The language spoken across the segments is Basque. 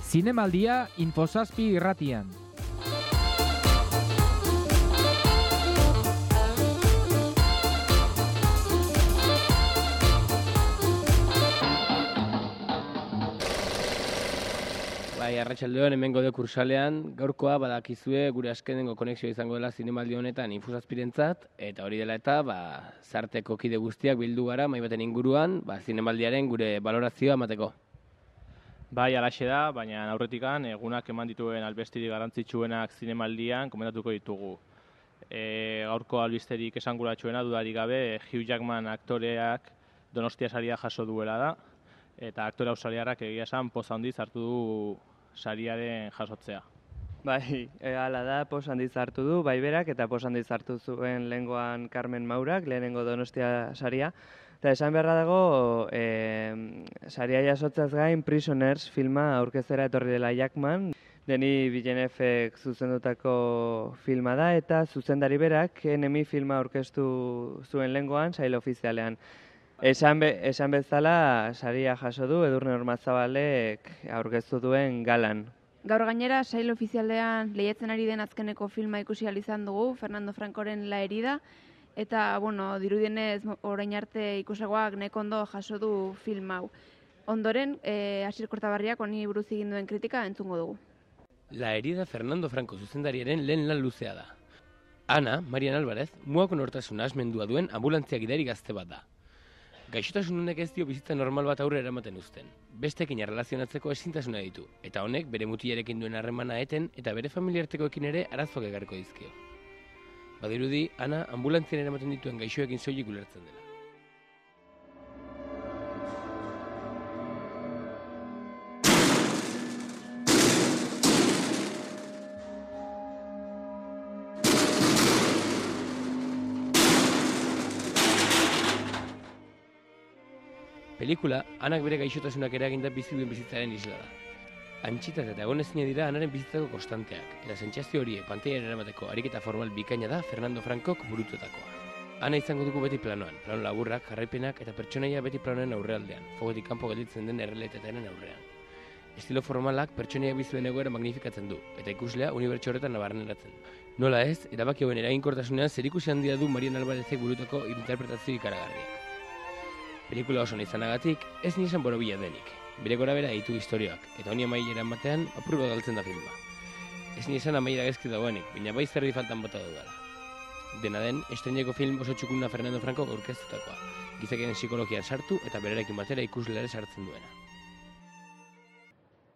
Zinemaldia Info7 irratian. Arratsaldeon hemen gaude kursalean, gaurkoa badakizue gure azkenengo konexioa izango dela Zinemaldi honetan Info7rentzat, eta hori dela eta zarteko kide guztiak bildu gara mahai baten inguruan, Zinemaldiaren gure balorazioa emateko. Bai, alaxe da, baina aurretikan egunak eman dituen albesterik garrantzitsuenak Zinemaldian komentatuko ditugu. Gaurko albisterik esanguratsuena dudarik gabe Hugh Jackman aktoreak Donostia saria jaso duela da, eta aktore australiarrak egia esan poz handiz hartu du sariaren jasotzea. Bai, hala da, poz handiz hartu du, bai berak, eta poz handiz hartu zuen lehengoan Carmen Maurak, lehenengo Donostia saria. Eta esan beharra dago, saria jasotzaz gain Prisoners filma aurkeztera etorri dela Jackman. Denis Villeneuve zuzendutako filma da, eta zuzendari berak Enemy filma aurkeztu zuen lehengoan, sail ofizialean. Esan bezala, saria jaso du Edurne Ormazabalek aurkeztu duen galan. Gaur gainera, sail ofizialean lehiatzen ari den azkeneko filma ikusi ahal izan dugu, Fernando Francoren La herida, eta, dirudienez orain arte ikusagoak nahiko ondo jaso du film hau. Ondoren, Asier Kortabarriak honi buruz egin duen kritika entzungo dugu. La herida Fernando Franco zuzendariaren lehen lan luzea da. Ana, Marian Alvarez, muako nortasuna asmendua duen ambulantzia gidari gazte bat da. Gaixotasun honek ez dio bizitza normal bat aurrera eramaten uzten. Besteekin erlazionatzeko ezintasuna ditu, eta honek bere mutilarekin duen harremana eten eta bere familiartekoekin ere arazoak ekarriko dizkio. Badirudi, Ana ambulantzian eramaten dituen gaixoekin soilik ulertzen dela. Pelikula, Anak bere gaixotasunak eraginda bizi duen bizitzaren isla da. Antxitak eta egonezina dira Anaren bizitzako konstanteak, eta sentsazio horiek pantailara eramateko ariketa formal bikaina da Fernando Francok burututakoa. Ana izango dugu beti planoan, plano laburrak, jarraipenak eta pertsonaia beti planoen aurrealdean, fogotik kanpo gelditzen den errealitatearen aurrean. Estilo formalak pertsonaia bizuen egoera magnifikatzen du, eta ikuslea unibertso horretan nabarneratzen. Nola ez, erabaki hauen eraginkortasunean zerikusi handia du Marian Alvarezek burutako interpretazio ikaragarriak. Pelikula oso izanagatik, ez nizan borobila denik. Bere gora bera ditu historioak, eta honi amaieran batean apur bat galtzen da filma. Ez nizan amaiera gezki dagoenik, baina bai zerri faltan bota dudala. Dena den, estreineko film oso txukuna Fernando Franco aurkeztutakoa, gizakien psikologian sartu eta berarekin batera ikusleare sartzen duena.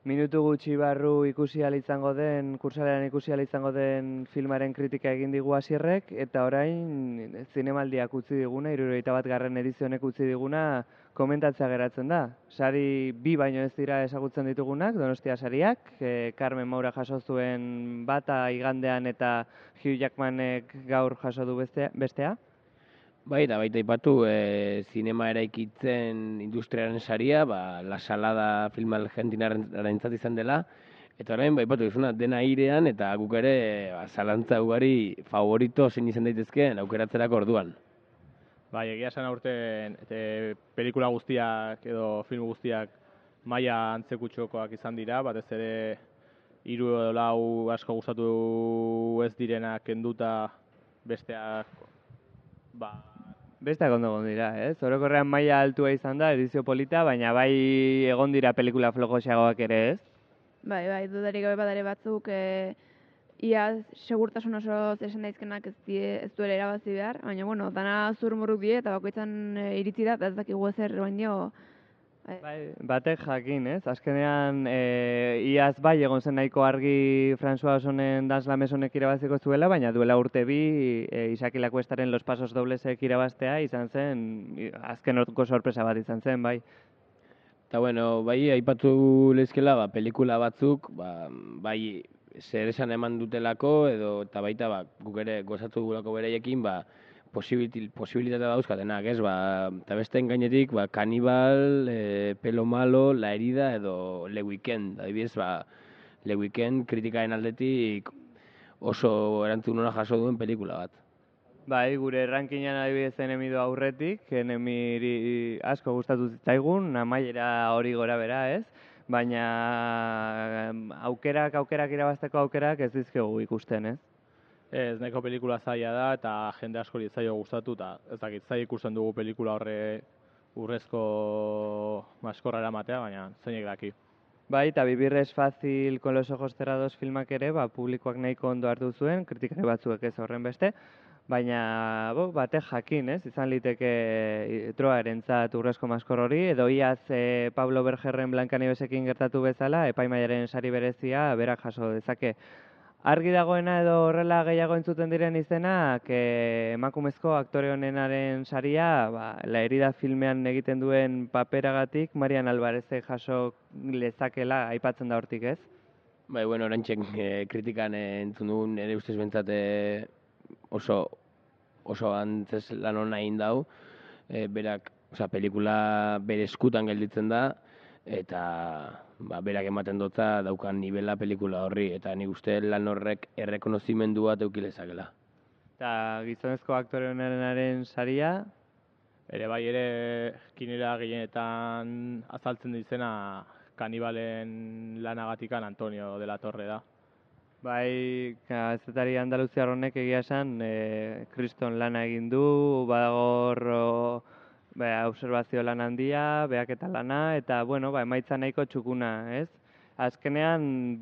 Minutu gutxi barru kursalean ikusi ahal izango den filmaren kritika egin digu Asierrek, eta orain Zinemaldiak utzi diguna, 71. edizionek utzi diguna, komentatzea geratzen da. Sari bi baino ez dira ezagutzen ditugunak, Donostia sariak, Carmen Maura jaso zuen bata igandean eta Hugh Jackmanek gaur jaso du bestea. Bai, eta baita ipatu, zinema eraikitzen industriaren saria, La Salada filma argentinarrentzat izan dela, eta orain, ipatu izuna, dena airean, eta guk ere, zalantza ugari favorito zein izan daitezkeen aukeratzerako orduan. Bai, egia esan aurten pelikula guztiak edo film guztiak maila antzekutxokoak izan dira, batez ere 3 edo 4 asko gustatu ez direnak kenduta besteak Besteak ondo egon dira, ez? Orokorrean maila altua izan da, edizio polita, baina bai egon dira pelikula flojoxeagoak ere, ez? Bai, dudarik gabe badare batzuk, ia segurtasun oso esan daizkenak ez duela erabazi behar, baina, dana zurmurruk die, eta bakoitzan iritsi da, eta ez dakigu ezer baino. Bai, batek jakin, ez? Azkenean, iaz bai egon zen nahiko argi François Ozonen Dans la Maisonek irabaziko zuela, baina duela urte bi, Isaki Lacuestaren Los Pasos Doblesek irabaztea izan zen, azken orduko sorpresa bat izan zen, bai. Eta bai, aipatu lezkela, pelikula batzuk, bai, zer esan eman dutelako, eta baita, guk ere gozatu dugulako beraiekin, posibilitatea dauzkatenak, ez? Eta besteen gainetik, Kanibal, Pelo Malo, La herida edo Le Weekend. Adibidez, Le Weekend kritikaren aldetik oso erantzun ona jaso duen pelikula bat. Bai, gure rankinan adibidez Enemy do aurretik, Enemiri asko gustatu zitzaigun, amaiera hori gora bera, ez? baina aukerak irabazteko aukerak ez dizkiogu ikusten, ez? Ez, nahiko pelikula zaila da eta jende askori ez zaio gustatu eta ez dakit zaila ikusten dugu pelikula horre urrezko maskorra eramatea, baina zeinek daki. Bai, eta Vivir es fácil con los ojos cerrados filmak ere, publikoak nahiko ondo hartu zuen, kritikari batzuek ez horren beste, baina batek jakin, ez? Izan liteke Troarentzat urrezko maskor hori, edo iaz Pablo Bergerren Blancanievesekin gertatu bezala, epaimaiaren sari berezia berak jaso dezake. Argi dagoena edo horrela gehiago entzuten diren izenak, emakumezko aktore honenaren saria, La herida filmean egiten duen paperagatik, Marian Alvarezek jaso lezakela aipatzen da hortik, ez? Bai, bueno, orantxek kritikan entzun dugun, ere ustez bentsat oso antzez lan hona egin dau, berak, pelikula bere eskutan gelditzen da, eta berak ematen dotza daukan nivela pelikula horri, eta nik uste lan horrek errekonozimendu bat eukilezakela. Eta gizonezko aktore honenaren saria? Ere kinera gehienetan azaltzen dizena kanibalen lanagatikan Antonio de la Torre da. Bai, kazetari andaluziar honek egia esan, kriston lana egin du, badagor observazio lan handia, behaketa lana, eta emaitza nahiko txukuna, ez? Azkenean,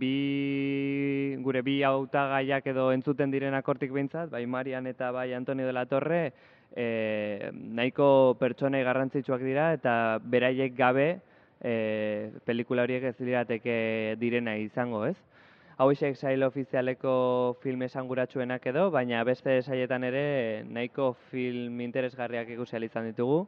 gure bi hautagaiak edo entzuten direnak hortik behintzat, bai Marian eta bai Antonio de la Torre, nahiko pertsonei garrantzitsuak dira, eta beraiek gabe pelikula horiek ez lirateke direna izango, ez? Hauexek sail ofizialeko film esanguratsuenak edo, baina beste sailetan ere nahiko film interesgarriak ikusi ahal izan ditugu.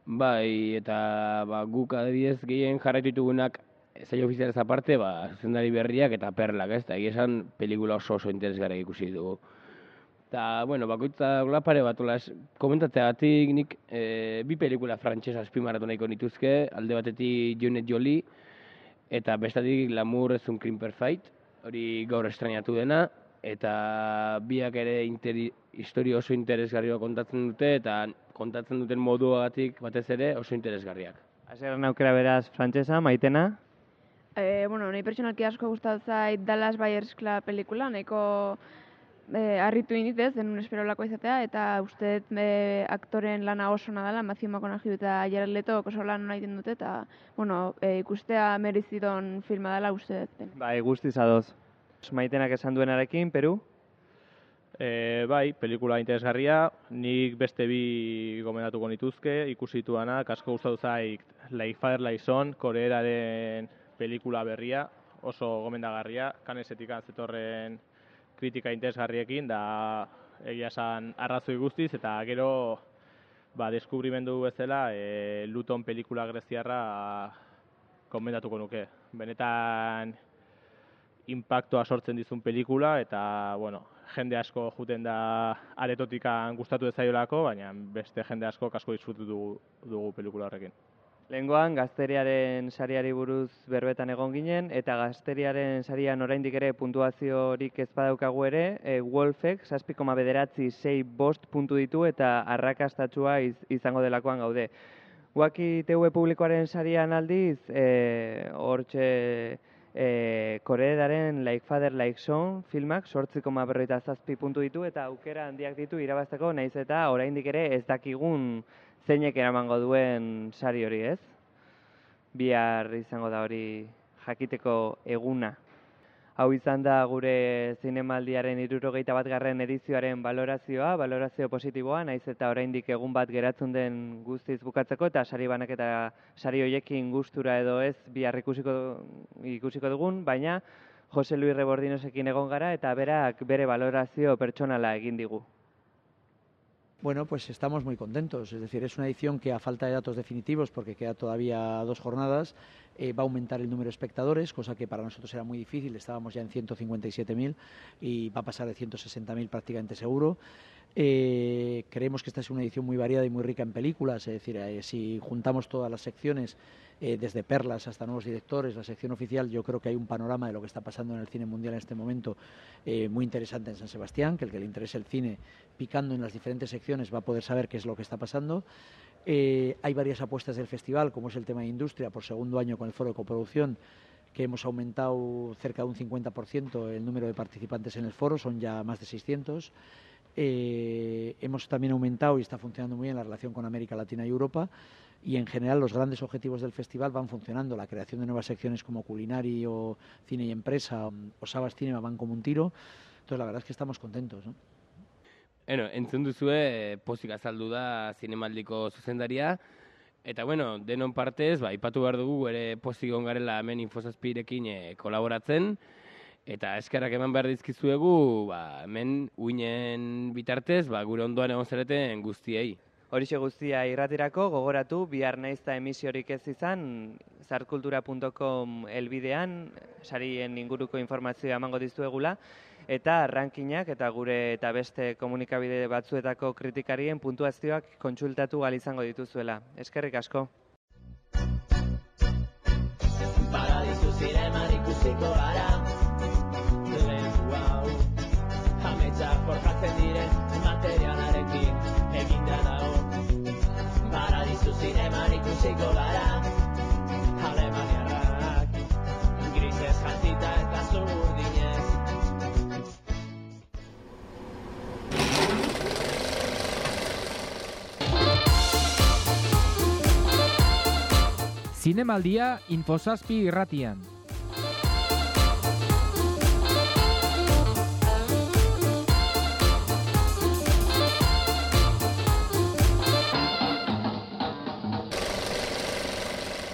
Bai, eta guk adibidez gehien jarraitu ditugunak sail ofizialez aparte, zuzendari berriak eta perlak, ez? Eta egia esan pelikula oso interesgarriak ikusi ditugu. Eta, bakoitza pare bat, komentatzeagatik nik bi pelikula frantxesa azpimarratu nahiko nituzke, alde batetik Juliette Joly, eta bestatik L'amour es un crime perfect, hori gaur estrenatu dena, eta biak ere historia oso interesgarria kontatzen dute, eta kontatzen duten moduagatik batez ere oso interesgarriak. Hasieran aukera beraz frantsesa, Maitena? Nahi pertsonalki asko gustatu zait Dallas Buyers Club pelikula, nahiko harritu inditez, denun esperolako izatea, eta uste aktoren lana oso nadala, Matthew McConaughey eta Jared Leto oso lan hona egiten dute, eta ikustea merezidon filma dela uste dut. Bai, guztiz adoz. Maitenak esan duenarekin, Peru? Bai, pelikula interesgarria, nik beste bi gomendatuko nituzke, ikusituanak, asko gustatu zait Like Father Like Son, koreeraren pelikula berria, oso gomendagarria, Cannesetik zetorren kritika interesgarriekin, da egia esan arrazoi guztiz, eta gero deskubrimendu bezala Luton pelikula greziarra gomendatuko nuke. Benetan inpaktoa sortzen dizun pelikula, eta jende asko juten da aretotikan gustatu ez zaiolako, baina beste jende asko asko disfrutu dugu pelikula horrekin. Lehengoan, Gazteriaren sariari buruz berbetan egon ginen, eta Gazteriaren sarian oraindik ere puntuaziorik ez badaukagu ere, Wolfek 7,965 puntu ditu eta arrakastatsua izango delakoan gaude. Wacky TV publikoaren sarian aldiz, hortxe koreeraren Like Father Like Son filmak 8,47 puntu ditu eta aukera handiak ditu irabazteko, nahiz eta oraindik ere ez dakigun zeinek eramango duen sari hori, ez? Bihar izango da hori jakiteko eguna. Hau izan da gure zinemaldiaren 61. edizioaren valorazio positiboa, nahiz eta oraindik egun bat geratzen den guztiz bukatzeko, eta sari banak eta sari hoiekin gustura edo ez bihar ikusiko dugun, baina Jose Luis Rebordinosekin egon gara eta berak bere valorazio pertsonala egin digu. Bueno, pues estamos muy contentos, es decir, es una edición que a falta de datos definitivos, porque queda todavía 2 jornadas, va a aumentar el número de espectadores, cosa que para nosotros era muy difícil, estábamos ya en 157.000 y va a pasar de 160.000 prácticamente seguro. Creemos que esta es una edición muy variada y muy rica en películas, es decir, si juntamos todas las secciones, desde perlas hasta nuevos directores, la sección oficial, yo creo que hay un panorama de lo que está pasando en el cine mundial en este momento muy interesante en San Sebastián, que el que le interese el cine, picando en las diferentes secciones, va a poder saber qué es lo que está pasando. Hay varias apuestas del festival, como es el tema de industria, por segundo año con el foro de coproducción, que hemos aumentado cerca de un 50% el número de participantes en el foro, son ya más de 600. Hemos también aumentado, y está funcionando muy bien, la relación con América Latina y Europa, y en general los grandes objetivos del festival van funcionando. La creación de nuevas secciones como Culinari o Cine y Empresa o Sabas Cinema van como un tiro. Entonces la verdad es que estamos contentos, ¿no? Entzun duzue, pozik azaldu da zinemaldiko zuzendaria, eta denon partez, aipatu behar dugu ere pozik egon garela hemen Info7irekin kolaboratzen, eta eskerrak eman behar dizkizuegu, hemen uinen bitartez, gure ondoan egon zareten guztiei. Horixe guztia irratirako, gogoratu, bihar naizta emisiorik ez izan, zartkultura.com helbidean, sarien inguruko informazioa emango dizuegula, eta rankinak eta gure eta beste komunikabide batzuetako kritikarien puntuazioak kontsultatu ahal izango dituzuela. Eskerrik asko. Paradisu zineman ikusiko gara, lehenku hau, ametsak forjatzen diren materialarekin eginda dago. Paradisu zineman ikusiko gara, alemaniarrak, grisez jantita eta zurdinez. Zinemaldia Info7 irratian.